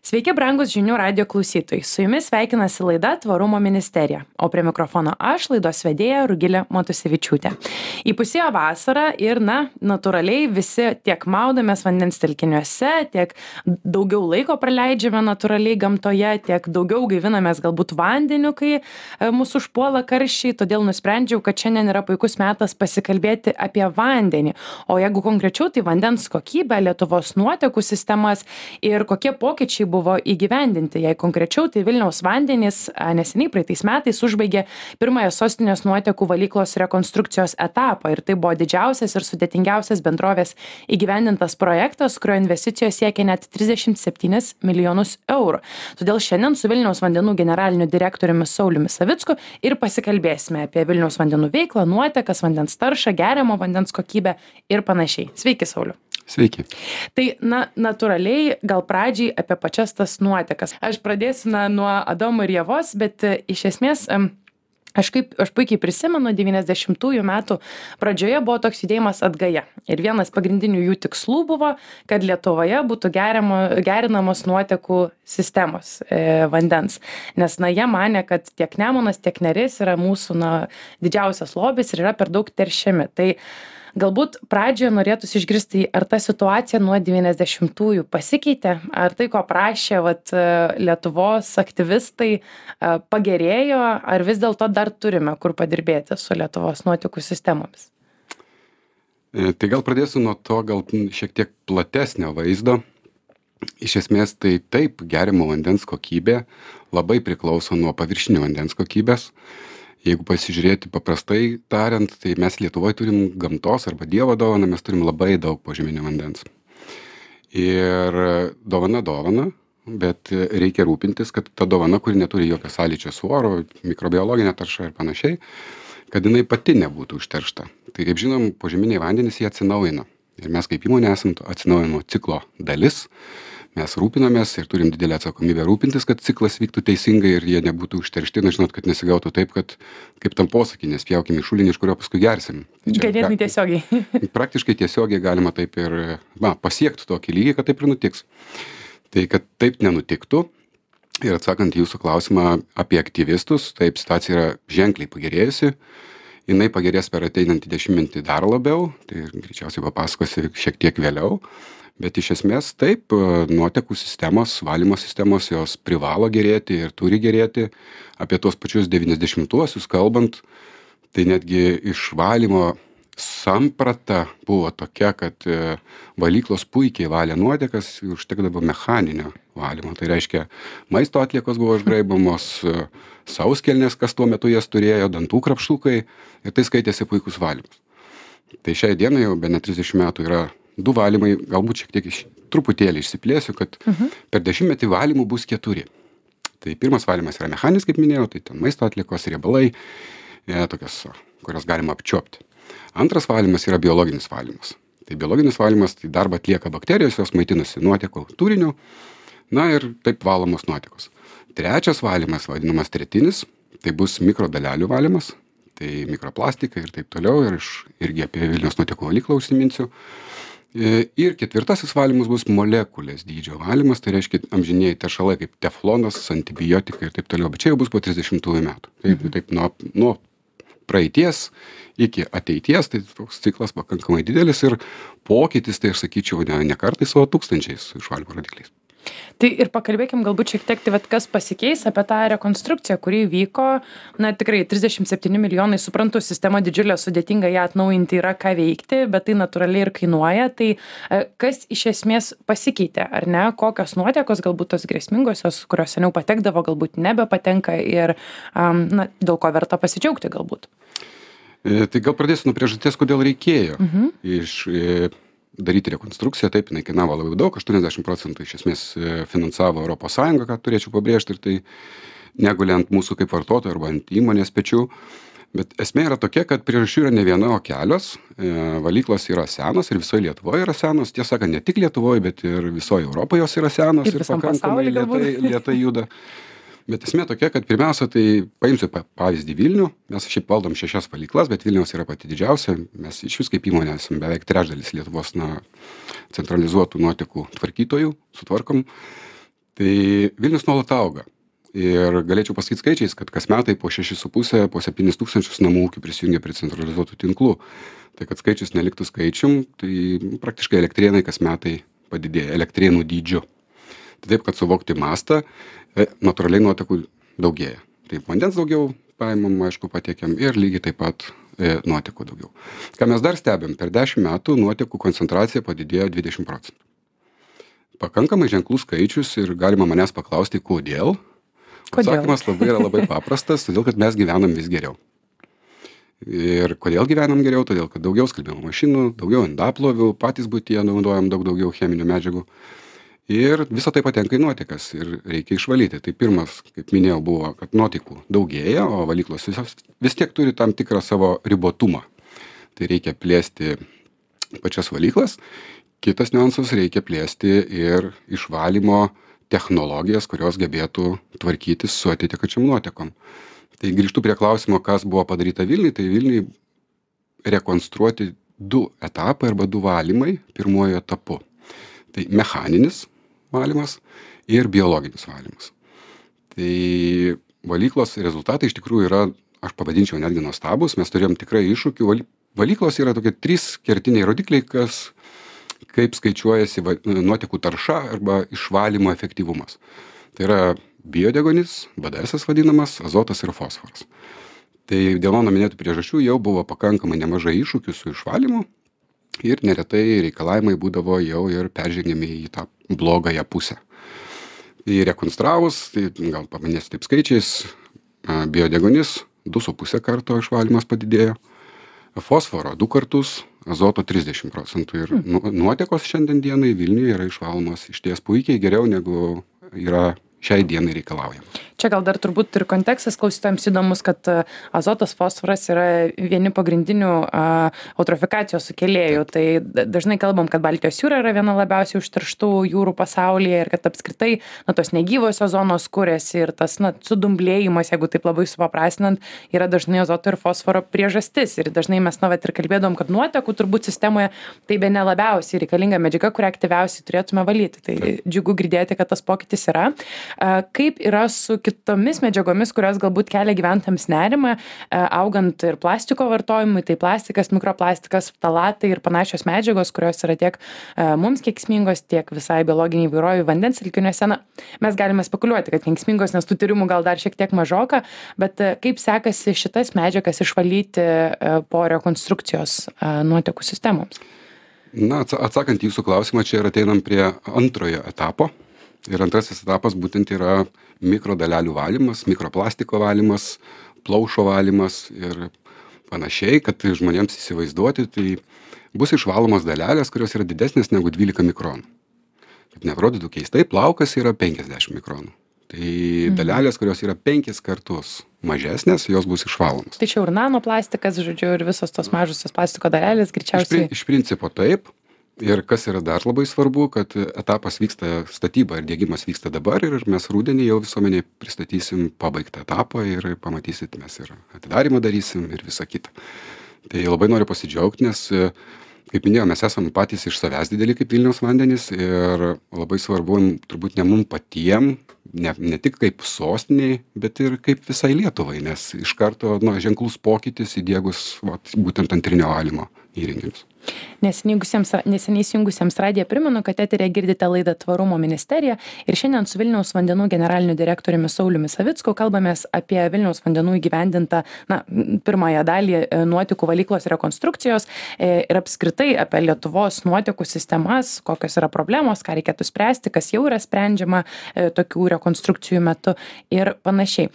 Sveiki, brangus žinių radio klausytojai. Su jumis sveikinasi laida Tvarumo ministerija, o prie mikrofono aš, laidos vedėja Rugilė Matusevičiūtė. Įpusėjo vasara ir, natūraliai visi tiek maudamės vandens telkiniuose, tiek daugiau laiko praleidžiame natūraliai gamtoje, tiek daugiau gaivinamės galbūt vandeniu, kai mūsų užpuola karščiai. Todėl nusprendžiau, kad šiandien yra puikus metas pasikalbėti apie vandenį. O jeigu konkrečiau, tai vandens kokybę, Lietuvos nuotekų sistemas ir kokie pokyčiai buvo įgyvendinti. Jei konkrečiau, tai Vilniaus vandenys neseniai praeitais metais užbaigė pirmąją sostinės nuotekų valyklos rekonstrukcijos etapą ir tai buvo didžiausias ir sudėtingiausias bendrovės įgyvendintas projektas, kurio investicijos siekia net 37 milijonus eurų. Todėl šiandien su Vilniaus vandenų generaliniu direktoriumi Sauliumi Savicku ir pasikalbėsime apie Vilniaus vandenų veiklą, nuotekas, vandens taršą, geriamo vandens kokybę ir panašiai. Sveiki, Sauliu. Sveiki. Tai, natūraliai, gal pradžiai apie pačias tas nuotekas. Aš pradėsiu nuo Adomo ir Ievos, bet iš esmės, aš puikiai prisimenu, 90-ųjų metų pradžioje buvo toks judėjimas Atgaja. Ir vienas pagrindinių jų tikslų buvo, kad Lietuvoje būtų gerinamos nuotekų sistemos vandens. Nes, jie manė, kad tiek Nemunas, tiek Neris yra mūsų didžiausias lobis ir yra per daug teršiami. Tai galbūt pradžioje norėtųsi išgirsti, ar ta situacija nuo 90-ųjų pasikeitė, ar tai, ko prašė Lietuvos aktyvistai, pagerėjo, ar vis dėlto dar turime kur padirbėti su Lietuvos nuotekų sistemomis. Tai gal pradėsiu nuo to, gal šiek tiek platesnio vaizdo. Iš esmės, tai taip, geriamo vandens kokybė labai priklauso nuo paviršinio vandens kokybės. Jeigu pasižiūrėti paprastai tariant, tai mes Lietuvoje turim gamtos arba Dievo dovaną, mes turim labai daug požeminio vandens. Ir dovana, bet reikia rūpintis, kad ta dovana, kuri neturi jokio sąlyčio su oru, mikrobiologinė tarša ir panašiai, kad jinai pati nebūtų užteršta. Tai kaip žinom, požeminiai vandenys jie atsinaujina. Ir mes kaip įmonė esam atsinaujinimo ciklo dalis. Mes rūpinamės ir turim didelę atsakomybę rūpintis, kad ciklas vyktų teisingai ir jie nebūtų užteršti. Žinot, kad nesigautų taip, kad kaip tam posakį, nespjaukim į šulinį, iš kurio paskui gersim. Ganėtinai tiesiogiai. Praktiškai tiesiogiai galima taip ir pasiekti tokį lygį, kad taip ir nutiks. Tai kad taip nenutiktų ir atsakant į jūsų klausimą apie aktyvistus, taip situacija yra ženkliai pagerėjusi. Jinai pagerės per ateinantį dešimtmetį dar labiau, tai greičiausiai papasakosiu šiek tiek vėliau. Bet iš esmės taip, nuotekų sistemos, valymo sistemos, jos privalo gerėti ir turi gerėti. Apie tuos pačius 90-uosius kalbant, tai netgi išvalymo samprata buvo tokia, kad valyklos puikiai valė nuotekas, užtekdavo mechaninio valymo. Tai reiškia, maisto atliekos buvo išgraibomos, sauskelnės, kas tuo metu jas turėjo, dantų krapštukai ir tai skaitėsi puikus valymas. Tai šiai dienai jau be net 30 metų yra 2 valymai, galbūt šiek tiek truputėlį išsiplėsiu, kad per 10-metį valymų bus 4. Tai pirmas valymas yra mechaninis, kaip minėjau, tai ten maisto atliekos, riebalai, tokios, kurias galima apčiuopti. Antras valymas yra biologinis valymas. Tai biologinis valymas, tai darbą atlieka bakterijos, jos maitinasi nuotekų turiniu, ir taip valomos nuotekos. Trečias valymas, vadinamas tretinis, tai bus mikrodalelių valymas, tai mikroplastikai ir taip toliau, ir irgi apie Vilniaus nuotekų valyklą užsiminsiu. Ir ketvirtasis valymas bus molekulės dydžio valymas, tai reiškia amžinieji teršalai kaip teflonas, antibiotikai ir taip toliau, bet čia jau bus po 30 metų. Taip nuo praeities iki ateities, tai toks ciklas pakankamai didelis ir pokytis, tai aš sakyčiau, ne kartais, o tūkstančiais išvalymo rodikliais. Tai ir pakalbėkim galbūt šiek tiek, kas pasikeis apie tą rekonstrukciją, kuri vyko, tikrai 37 milijonai, suprantu, sistema didžiulė, sudėtinga ją atnaujinti, yra ką veikti, bet tai natūraliai ir kainuoja. Tai kas iš esmės pasikeitė, ar ne? Kokios nuotekos, galbūt tos grėsmingosios, kurios seniau patekdavo, galbūt nebepatenka ir dėl ko verta pasidžiaugti galbūt? Tai gal pradėsiu nuo priežasties, kodėl reikėjo daryti rekonstrukciją. Taip, jinai kainavo labai daug, 80% iš esmės finansavo Europos Sąjunga, ką turėčiau pabrėžti, ir tai negulė ant mūsų kaip vartotojų arba ant įmonės pečių. Bet esmė yra tokia, kad priežasčių yra ne viena, o kelios. Valyklos yra senos ir visoje Lietuvoje yra senos. Tiesą sakant, ne tik Lietuvoje, bet ir visoje Europoje jos yra senos ir pakankamai lėtai juda. Bet esmė tokia, kad pirmiausia, tai paimsiu pavyzdį Vilnių. Mes šiaip valdom 6 valyklas, bet Vilniaus yra pati didžiausia. Mes iš vis kaip įmonė esame beveik trečdalis Lietuvos centralizuotų nuotekų tvarkytojų, sutvarkom. Tai Vilnius nuolat auga. Ir galėčiau pasakyti skaičiais, kad kas metai po 6,5, po 7 tūkstančius namų ūkių prisijungia prie centralizuotų tinklų. Tai kad skaičius neliktų skaičium, tai praktiškai elektrėnai kas metai padidėja, elektrėnų dydžiu. Tai taip, kad suvokti mastą, natūraliai nuotekų daugėja. Taip, vandens daugiau paimam, aišku, patiekiam ir lygiai taip pat nuotekų daugiau. Ką mes dar stebim, per 10 metų nuotekų koncentracija padidėjo 20%. Pakankamai ženklus skaičius ir galima manęs paklausti, kodėl. Atsakymas labai paprastas, todėl kad mes gyvenam vis geriau. Ir kodėl gyvenam geriau? Todėl, kad daugiau skalbimo mašinų, daugiau indaplovių, patys buityje naudojam daugiau cheminių medžiagų. Ir visa tai patenka į nuotekas ir reikia išvalyti. Tai pirmas, kaip minėjau, buvo, kad nuotekų daugėja, o valyklos vis tiek turi tam tikrą savo ribotumą. Tai reikia plėsti pačias valyklas. Kitas niuansas, reikia plėsti ir išvalymo technologijas, kurios gebėtų tvarkytis su atitekačiam nuotekom. Tai grįžtu prie klausimo, kas buvo padaryta Vilniui. Tai Vilniui rekonstruoti 2 etapai arba 2 valymai pirmuoju etapu. Tai mechaninis valymas ir biologinis valymas. Tai valyklos rezultatai iš tikrųjų yra, aš pavadinčiau netgi nuostabus, mes turėjom tikrai iššūkių. Valyklos yra tokie 3 kertiniai rodikliai, kaip skaičiuojasi nuotekų tarša arba išvalymo efektyvumas. Tai yra biodegonis, BDS vadinamas, azotas ir fosforas. Tai dėl mano minėtų priežasčių jau buvo pakankamai nemažai iššūkių su išvalymu ir neretai reikalavimai būdavo jau ir peržengiami į tą blogąją pusę. Tai rekonstravus, tai gal paminėsiu taip skaičiais, biodegonis 2,5 karto išvalymas padidėjo, fosforo 2 kartus, azoto 30% ir nuotekos šiandien dienai Vilniuje yra išvalomos išties puikiai geriau negu yra šiai dienai reikalaujama. Čia gal dar turbūt ir kontekstas klausytojams įdomus, kad azotas, fosforas yra vieni pagrindinių eutrofikacijos sukėlėjų. Tai dažnai kalbam, kad Baltijos jūra yra viena labiausiai užterštų jūrų pasaulyje ir kad apskritai tos negyvosios zonos kuriasi ir tas sudumblėjimas, jeigu taip labai supaprastinant, yra dažnai azoto ir fosforo priežastis. Ir dažnai mes ir kalbėdom, kad nuotekų turbūt sistemoje tai bene labiausiai reikalinga medžiaga, kurią aktyviausiai turėtume valyti. Tai džiugu girdėti, kad tas pokytis yra. Kaip yra su kitomis medžiagomis, kurios galbūt kelia gyventojams nerimą, augant ir plastiko vartojimui, tai plastikas, mikroplastikas, ftalatai ir panašios medžiagos, kurios yra tiek mums kenksmingos, tiek visai biologiniai įvairovei vandens telkiniuose. Mes galime spekuliuoti, kad kenksmingos, nes tų tyrimų gal dar šiek tiek mažoka, bet kaip sekasi šitas medžiagas išvalyti po rekonstrukcijos nuotekų sistemoms? Atsakant į jūsų klausimą, čia ir ateinam prie antrojo etapo. Ir antrasis etapas būtent yra mikrodalelių valymas, mikroplastiko valymas, plaušo valymas ir panašiai, kad žmonėms įsivaizduoti, tai bus išvalomos dalelės, kurios yra didesnės negu 12 mikronų. Kad neatrodytų keistai, plaukas yra 50 mikronų. Tai dalelės, kurios yra 5 kartus mažesnės, jos bus išvalomos. Tai čia ir nanoplastikas, žodžiu, ir visos tos mažusios plastiko dalelės greičiausiai. Iš principo taip. Ir kas yra dar labai svarbu, kad etapas vyksta, statyba ir diegimas vyksta dabar ir mes rudenį jau visuomeniai pristatysim pabaigtą etapą ir pamatysit, mes ir atidarimą darysim ir visą kitą. Tai labai noriu pasidžiaugti, nes, kaip minėjau, mes esam patys iš savęs dideli kaip Vilniaus vandenys ir labai svarbu turbūt ne mum patiem, ne tik kaip sostiniai, bet ir kaip visai Lietuvai, nes iš karto ženklus pokytis įdiegus būtent antrinio valymo įrenginius. Neseniai įsijungusiems radiją primenu, kad eteryje girdite laidą Tvarumo ministerija ir šiandien su Vilniaus vandenų generaliniu direktoriumi Sauliumi Savicku kalbamės apie Vilniaus vandenų įgyvendintą pirmąją dalį nuotekų valyklos rekonstrukcijos ir apskritai apie Lietuvos nuotekų sistemas, kokios yra problemos, ką reikėtų spręsti, kas jau yra sprendžiama tokių rekonstrukcijų metu ir panašiai.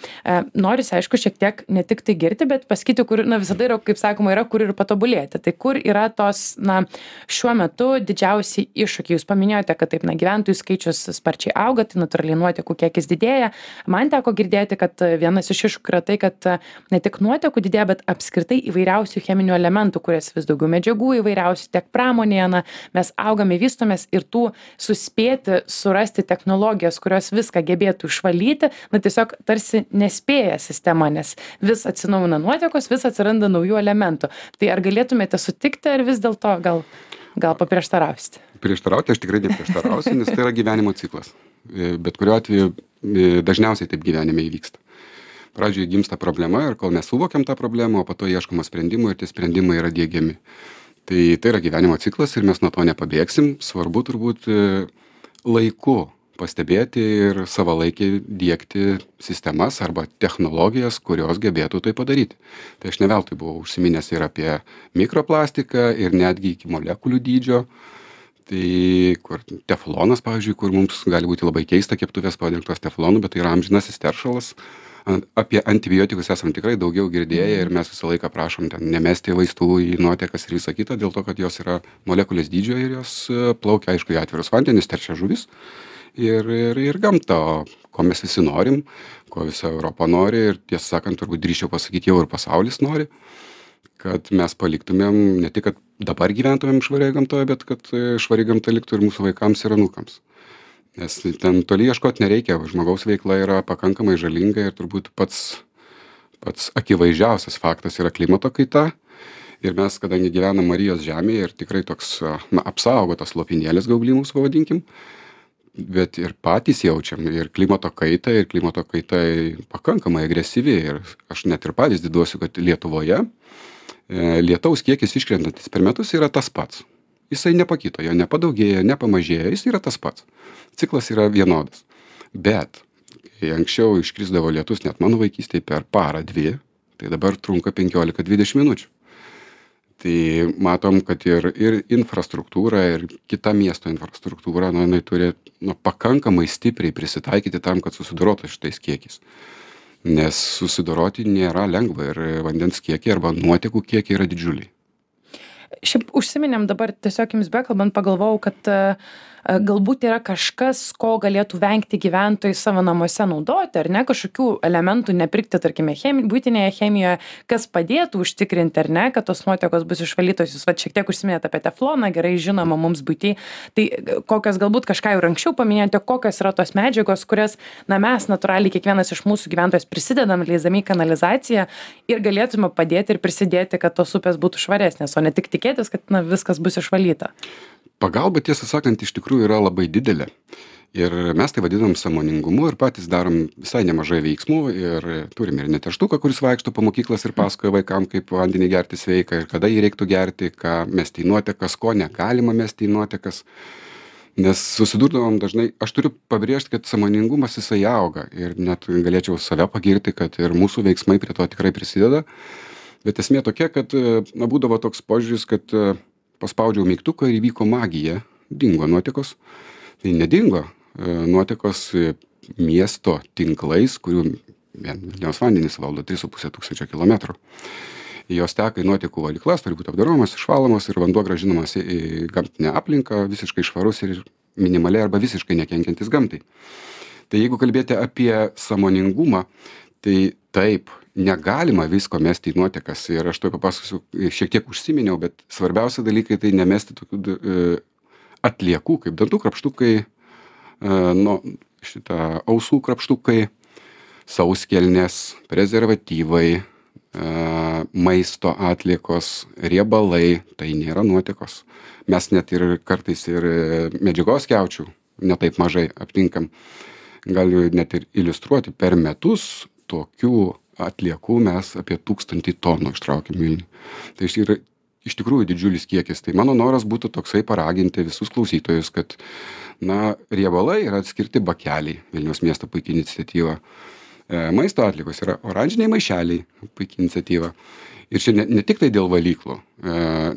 Norisi, aišku, šiek tiek ne tik tai girti, bet pasakyti, kur visada yra, kaip sakoma, yra kur ir patobulėti. Tai kur yra tos šiuo metu didžiausi iššūkiai. Jūs paminėjote, kad taip, gyventojų skaičius sparčiai auga, tai natūraliai nuotekų kiekis didėja. Man teko girdėti, kad vienas iš iššūkių yra tai, kad ne tik nuotekų didėja, bet apskritai įvairiausių cheminių elementų, kurias vis daugiau medžiagų įvairiausių tiek pramonėje, mes augame, vystomės ir tų suspėti surasti technologijas, kurios viską gebėtų išvalyti, tiesiog tarsi nespėja sistema, nes vis atsinaujina nuotekos, vis atsiranda naujų elementų. Tai ar galėtumėte sutikti, ar vis dėlto gal paprieštarausite? Prieštarauti aš tikrai neprieštarausiu, nes tai yra gyvenimo ciklas. bet kuriuo atveju dažniausiai taip gyvenime įvyksta. Pradžioje gimsta problema ir kol mes suvokiam tą problemą, o po to ieškoma sprendimų ir tie sprendimai yra diegiami. Tai yra gyvenimo ciklas ir mes nuo to nepabėgsim. Svarbu turbūt laiku pastebėti ir savalaikiai diegti sistemas arba technologijas, kurios gebėtų tai padaryti. Tai aš ne veltui buvau užsiminęs ir apie mikroplastiką ir netgi iki molekulių dydžio. Tai kur teflonas, pavyzdžiui, kur mums gali būti labai keista keptuvės padengtos teflonu, bet tai yra amžinasis teršalas. Apie antibiotikus esam tikrai daugiau girdėję ir mes visą laiką prašom ten nemesti vaistų į nuotekas ir visą kitą, dėl to, kad jos yra molekulės dydžio ir jos plaukia, aišku, į atvirus vandenis, teršia žuvis ir gamta, ko mes visi norim, ko visa Europa nori ir tiesą sakant, turbūt drįsčiau pasakyti, jau ir pasaulis nori, kad mes paliktumėm ne tik, kad dabar gyventumėm švarioje gamtoje, bet kad švari gamta liktų ir mūsų vaikams ir anūkams. Nes ten toli ieškot nereikia, žmogaus veikla yra pakankamai žalinga ir turbūt pats akivaizdžiausias faktas yra klimato kaita. Ir mes, kadangi gyvenam Marijos žemėje ir tikrai toks apsaugotas lopinėlis gaublimus pavadinkim, bet ir patys jaučiam ir klimato kaitą, ir klimato kaita pakankamai agresyvi. Ir aš net ir pavyzdį duosiu, kad Lietuvoje lietaus kiekis iškrentantis per metus yra tas pats. Jisai nepakito, jo nepadaugėjo, nepamažėjo, jis yra tas pats. Ciklas yra vienodas. Bet, kai anksčiau iškrisdavo lietus net mano vaikystėje per parą dvi, tai dabar trunka 15-20 minučių. Tai matom, kad ir infrastruktūra, ir kita miesto infrastruktūra, jinai turi pakankamai stipriai prisitaikyti tam, kad susidorotų šitais kiekiais. Nes susidoroti nėra lengva ir vandens kiekiai arba nuotekų kiekiai yra didžiuliai. Šiaip užsiminėm dabar tiesiog jums bekalbant, pagalvojau, kad galbūt yra kažkas, ko galėtų vengti gyventojai savo namuose naudoti, ar ne, kažkokių elementų nepirkti, tarkime, buitinėje chemijoje, kas padėtų užtikrinti, ar ne, kad tos nuotekos bus išvalytos. Jūs šiek tiek užsiminėte apie tefloną, gerai žinoma mums buitį. Tai kokios galbūt kažką jau anksčiau paminėjote, kokios yra tos medžiagos, kurias mes natūraliai kiekvienas iš mūsų gyventojus prisidedam, leisdami kanalizaciją ir galėtume padėti ir prisidėti, kad tos upės būtų švaresnės, o ne tik tikėtis, kad viskas bus išvalyta. Pagalba, tiesą sakant, iš tikrųjų yra labai didelė. Ir mes tai vadinam sąmoningumu ir patys darom visai nemažai veiksmų ir turim ir neterštuką, kuris vaikšto po mokyklas ir pasakoja vaikam, kaip vandenį gerti sveika ir kada jį reiktų gerti, ką mesti į nuotekas, ko negalima mesti į nuotekas. Nes susidurdavom dažnai, aš turiu pabrėžti, kad sąmoningumas jisai auga ir net galėčiau save pagirti, kad ir mūsų veiksmai prie to tikrai prisideda. Bet esmė tokia, kad būdavo toks požiūris, kad paspaudžiau mygtuką ir įvyko magija, dingo nuotekos. Tai nedingo nuotekos miesto tinklais, kurių Vilniaus vandenys valdo 3,5 tūkstančio kilometrų. Jos teka į nuotekų valyklas, turi būti apdoromas, išvalomas ir vanduo grąžinamas į gamtinę aplinką, visiškai švarus ir minimaliai arba visiškai nekenkiantis gamtai. Tai jeigu kalbėti apie sąmoningumą, tai taip, negalima visko mesti į nuotekas ir aš to papasakosiu, šiek tiek užsiminiau, bet svarbiausia dalykai tai nemesti tokių atliekų, kaip dantų krapštukai, ausų krapštukai, sauskelnės, prezervatyvai, maisto atliekos, riebalai, tai nėra nuotekos. Mes net ir kartais ir medžiagos skiaučių netaip mažai aptinkam. Galiu net ir iliustruoti, per metus tokių atliekų mes apie 1000 tonų ištraukiam Vilniui. Tai yra iš tikrųjų didžiulis kiekis. Tai mano noras būtų toksai paraginti visus klausytojus, kad riebalai yra atskirti bakeliai, Vilniaus miesto puikia iniciatyva. Maisto atliekos yra oranžiniai maišeliai, puikia iniciatyva. Ir čia ne tik tai dėl valyklų,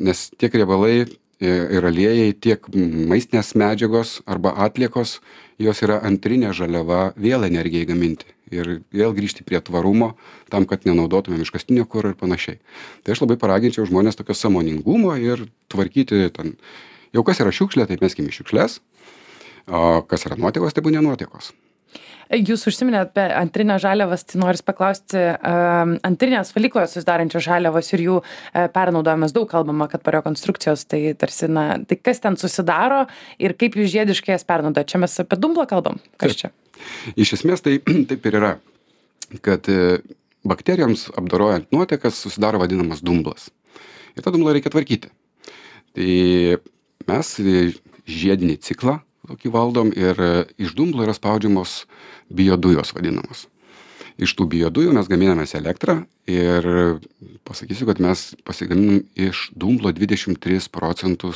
nes tiek riebalai ir aliejai, tiek maistinės medžiagos arba atliekos, jos yra antrinė žaliava vėl energijai gaminti. Ir vėl grįžti prie tvarumo, tam, kad nenaudotumėm iškastinio kuro ir panašiai. Tai aš labai paraginčiau žmonės tokio sąmoningumo ir tvarkyti ten. Jau kas yra šiukšlė, tai meskim į šiukšlės, o kas yra nuotekos, tai būna nuotekos. Jūs užsiminėt apie antrinę žaliavas, tai noris paklausti, antrinės valykloje susidarančios žaliavos ir jų pernaudojimas, daug kalbama, kad po rekonstrukcijos, tai tarsi, tai kas ten susidaro ir kaip jūs žiediškai jas pernaudojate? Čia mes apie dumblą kalbam? Kas čia? Iš esmės tai taip ir yra, kad bakterijoms apdorojant nuotekas susidaro vadinamas dumblas. Ir tą dumblą reikia tvarkyti. Tai mes žiedinį ciklą tokį valdom ir iš dumblo yra spaudžiamos biodujos vadinamos. Iš tų biodujų mes gaminamės elektrą ir pasakysiu, kad mes pasigaminam iš dumblo 23%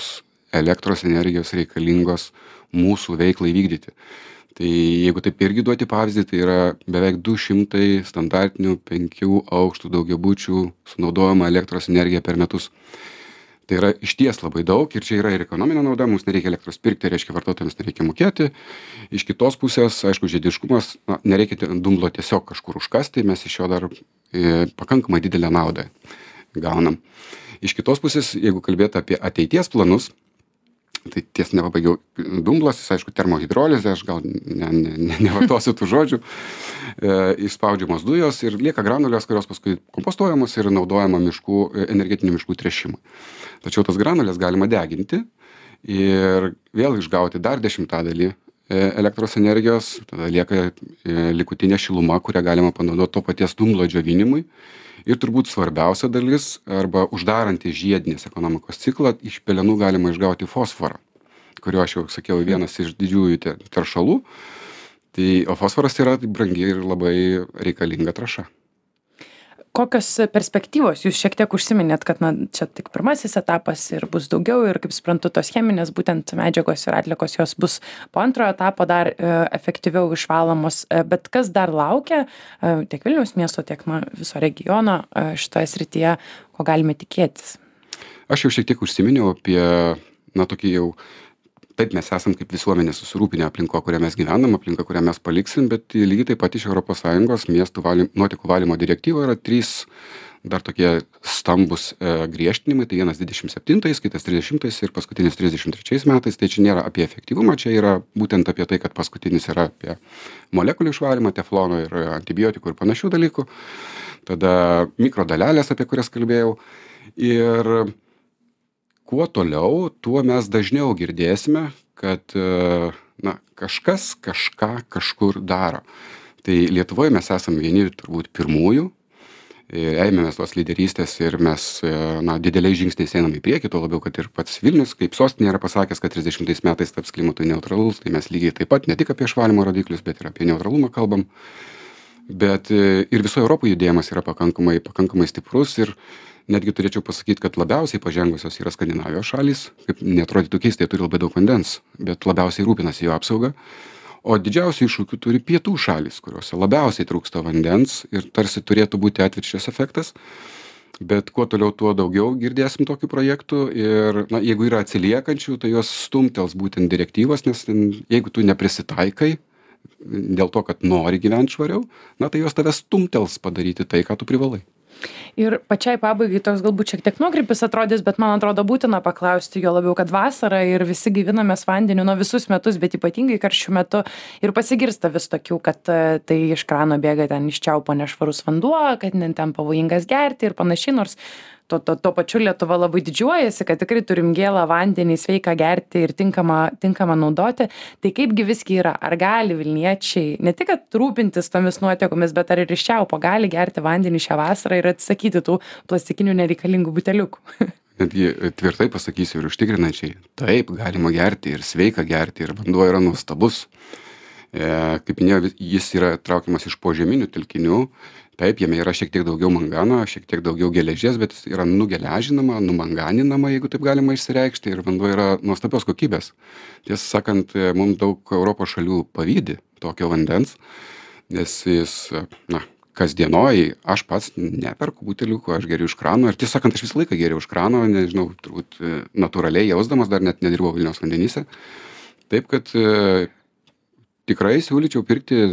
elektros energijos reikalingos mūsų veiklai vykdyti. Tai jeigu taip irgi duoti pavyzdį, tai yra beveik 200 standartinių 5 aukštų daugiabučių sunaudojama elektros energija per metus. Tai yra išties labai daug ir čia yra ir ekonominė nauda, mums nereikia elektros pirkti, reiškia vartotojams nereikia mokėti. Iš kitos pusės, aišku, žiediškumas, nereikia dumblo tiesiog kažkur užkasti, mes iš jo dar pakankamai didelę naudą gaunam. Iš kitos pusės, jeigu kalbėti apie ateities planus, tai ties nepabaigiau dumblas, jis aišku termohidrolizė, aš gal nevartosiu tų žodžių, išspaudžiamos dujos ir lieka granulės, kurios paskui kompostuojamos ir naudojama energetinių miškų tręšimui. Tačiau tas granulės galima deginti ir vėl išgauti dar 10% elektros energijos, tada lieka likutinė šiluma, kurią galima panaudoti to paties dumblo džiovinimui. Ir turbūt svarbiausia dalis, arba uždaranti žiedinės ekonomikos ciklą, iš pelenų galima išgauti fosforą, kurio aš jau sakiau vienas iš didžiųjų teršalų. O fosforas yra brangi ir labai reikalinga trąša. Kokios perspektyvos? Jūs šiek tiek užsiminėt, kad čia tik pirmasis etapas ir bus daugiau ir, kaip suprantu, tos cheminės būtent medžiagos ir atliekos jos bus po antrojo etapo dar efektyviau išvalomos. Bet kas dar laukia tiek Vilniaus miesto, tiek viso regiono šitoje srityje, ko galime tikėtis? Aš jau šiek tiek užsiminiau apie, tokį jau, taip mes esam kaip visuomenė susirūpinę aplinko, kurią mes gyvenam, aplinką, kurią mes paliksim, bet lygiai taip pat iš ES miestų nuotekų valymo direktyvo yra 3 dar tokie stambus griežtinimai, tai vienas 27, kitas 30 ir paskutinis 33 metais, tai čia nėra apie efektyvumą, čia yra būtent apie tai, kad paskutinis yra apie molekulių išvalymą, teflono ir antibiotikų ir panašių dalykų, tada mikrodalelės, apie kurias kalbėjau, ir kuo toliau, tuo mes dažniau girdėsime, kad kažkas kažką kažkur daro. Tai Lietuvoje mes esame vieni turbūt pirmųjų, ėmėmės tos lyderystės ir mes dideliais žingsniais einam į priekį, tuo labiau, kad ir pats Vilnius, kaip sostinė, yra pasakęs, kad 30 metais taps klimatui neutralus, tai mes lygiai taip pat ne tik apie išvalymo rodiklius, bet ir apie neutralumą kalbam. Bet ir visoje Europoje judėjimas yra pakankamai stiprus ir netgi turėčiau pasakyti, kad labiausiai pažengusios yra Skandinavijos šalys, kaip neatrodytų keistai, turi labai daug vandens, bet labiausiai rūpinasi jo apsauga. O didžiausių iššūkių turi pietų šalys, kuriuose labiausiai trūksta vandens ir tarsi turėtų būti atvirkščias efektas. Bet kuo toliau, tuo daugiau girdėsim tokių projektų ir jeigu yra atsiliekančių, tai jos stumtels būtent direktyvos, nes jeigu tu neprisitaikai dėl to, kad nori gyventi švariau, tai jos tave stumtels padaryti tai, ką tu privalai. Ir pačiai pabaigai toks galbūt šiek tiek nuokrypis atrodys, bet man atrodo būtina paklausti, jo labiau, kad vasara ir visi gaivinamės vandeniu visus metus, bet ypatingai karščių metu ir pasigirsta vis tokių, kad tai iš krano bėga ten iš čiaupo nešvarus vanduo, kad ten pavojingas gerti ir panašiai, nors tuo pačiu Lietuva labai didžiuojasi, kad tikrai turim gėlą vandenį, sveiką gerti ir tinkamą naudoti. Tai kaipgi visgi yra? Ar gali vilniečiai ne tik rūpintis tomis nuotekomis, bet ar ir iš čiaupo gali gerti vandenį šią vasarą ir atsisakyti tų plastikinių nereikalingų buteliukų? Netgi tvirtai pasakysiu ir užtikrinančiai, taip, galima gerti ir sveika gerti ir vanduo yra nuostabus. Kaip minėjau, jis yra traukiamas iš požeminių telkinių. Taip, jame yra šiek tiek daugiau mangano, šiek tiek daugiau geležies, bet jis yra nugeležinama, numanganinama, jeigu taip galima išsireikšti, ir vanduo yra nuostabios kokybės. Tiesą sakant, mums daug Europos šalių pavydi tokio vandens, nes jis, kasdienoj, aš pats neperku buteliukų, aš geriu iš krano, ir tiesą sakant, aš visą laiką geriu iš krano, nežinau, turbūt natūraliai jausdamas, dar net nedirbau Vilniaus vandenyse. Taip, kad tikrai siūlyčiau pirkti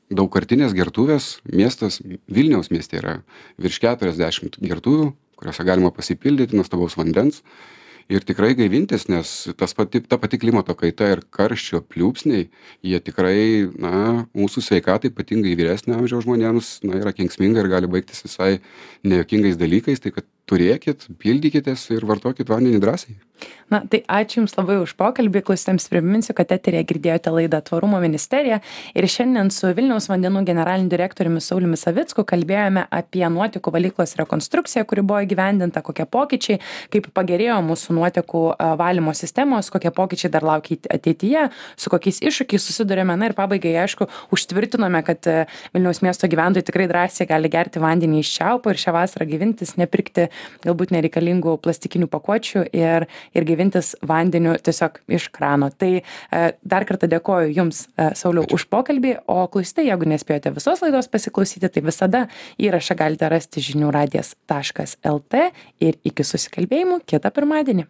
daugkartinės gertuvės. Miestas, Vilniaus mieste yra virš 40 gertuvių, kuriuose galima pasipildyti nuostabaus vandens ir tikrai gaivintis, nes ta pati klimato kaita ir karščio pliūpsniai, jie tikrai, mūsų sveikatai, ypatingai vyresnio amžiaus žmonėms, yra kenksminga ir gali baigtis visai nejokingais dalykais, tai kad turėkit, pildykitės ir vartokit vandenį drąsiai. Na, tai ačiū Jums labai už pokalbį. Klausytojams priminsiu, kad eteryje girdėjote laidą Tvarumo ministerija ir šiandien su Vilniaus vandenų generaliniu direktoriumi Sauliumi Savicku kalbėjome apie nuotekų valyklos rekonstrukciją, kuri buvo įgyvendinta, kokie pokyčiai, kaip pagerėjo mūsų nuotekų valymo sistemos, kokie pokyčiai dar laukia ateityje, su kokiais iššūkiais susidurėme. Na ir pabaigai, aišku, užtvirtinome, kad Vilniaus miesto gyventojai tikrai drąsiai gali gerti vandenį iš čiaupo ir šią vasarą gyvintis, nepirkti galbūt nereikalingų plastikinių pakuočių ir gyvintis vandeniu tiesiog iš krano. Tai dar kartą dėkoju Jums, Sauliau, už pokalbį, o klausytojai, jeigu nespėjote visos laidos pasiklausyti, tai visada įrašą galite rasti žinių radijas.lt ir iki susikalbėjimų kitą pirmadienį.